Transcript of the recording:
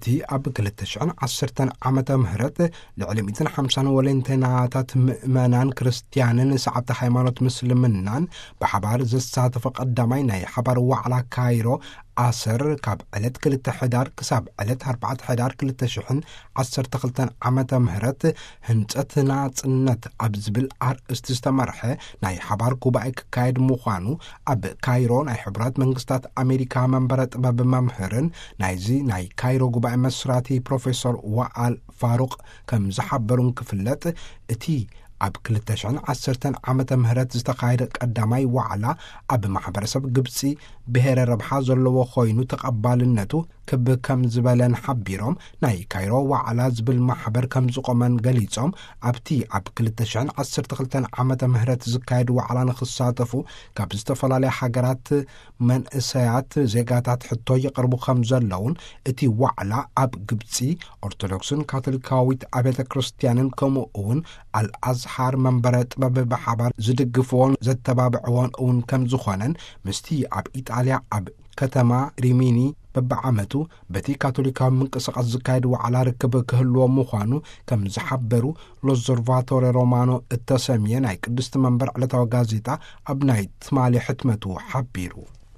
ኣብቲ ኣብ ክልተ ሽሕን ዓሰርተን ዓመተ ምህረት ልዕሊ ሚእትን ሓምሳን ወለንተናታት ምእመናን ክርስትያንን ሰዓብቲ ሃይማኖት ምስልምናን ብሓባር ዘሳተፎ ቀዳማይ ናይ ሓባር ዋዕላ ካይሮ ኣሰር፣ ካብ ዕለት ክልተ ሕዳር ክሳብ ዕለት ኣርባዕተ ሕዳር ክልተ ሽሕን ዓሰርተ ክልተን ዓመተ ምህረት፣ ህንጸት ናጽነት ኣብ ዝብል ኣርእስቲ ዝተመርሐ ናይ ሓባር ጉባኤ ክካየድ ምዃኑ ኣብ ካይሮ ናይ ሕቡራት መንግስታት ኣሜሪካ መንበረ ጥበብ መምህርን ናይዚ ናይ ካይሮ ጉባኤ መስራቲ ፕሮፌሰር ዋኣል ፋሩቅ ከም ዝሓበሩን ክፍለጥ፣ እቲ ኣብ ክልተ ሽሕን ዓሰርተን ዓመተ ምህረት ዝተኻየደ ቀዳማይ ዋዕላ ኣብ ማሕበረሰብ ግብጺ ብሄረ ረብሓ ዘለዎ ኮይኑ ተቐባልነቱ ክብ ከም ዝበለን ሓቢሮም፣ ናይ ካይሮ ዋዕላ ዝብል ማሕበር ከም ዝቆመን ገሊጾም፣ ኣብቲ ኣብ ክልተ ሽሕን ዓሰርተ ክልተን ዓመተ ምህረት ዝካየድ ዋዕላ ንክሳተፉ ካብ ዝተፈላለያ ሃገራት መንእሰያት ዜጋታት ሕቶ ይቐርቡ ከም ዘለውን፣ እቲ ዋዕላ ኣብ ግብጺ ኦርቶዶክስን ካቶሊካዊት ኣብያተ ክርስትያንን ከምኡ እውን ኣልኣዝሃር መንበረ ጥበብ ብሓባር ዝድግፍዎን ዘተባብዕዎን እውን ከም ዝኾነን፣ ምስቲ ኣብ ኢጣልያ ኣብ ከተማ ሪሚኒ በብዓመቱ በቲ ካቶሊካዊ ምንቅስቃስ ዝካየድ ዋዕላ ርክብ ክህልዎ ምዃኑ ከም ዝሓበሩ ሎዞርቫቶሬ ሮማኖ እተሰምየ ናይ ቅድስቲ መንበር ዕለታዊ ጋዜጣ ኣብ ናይ ትማሊ ሕትመቱ ሓቢሩ።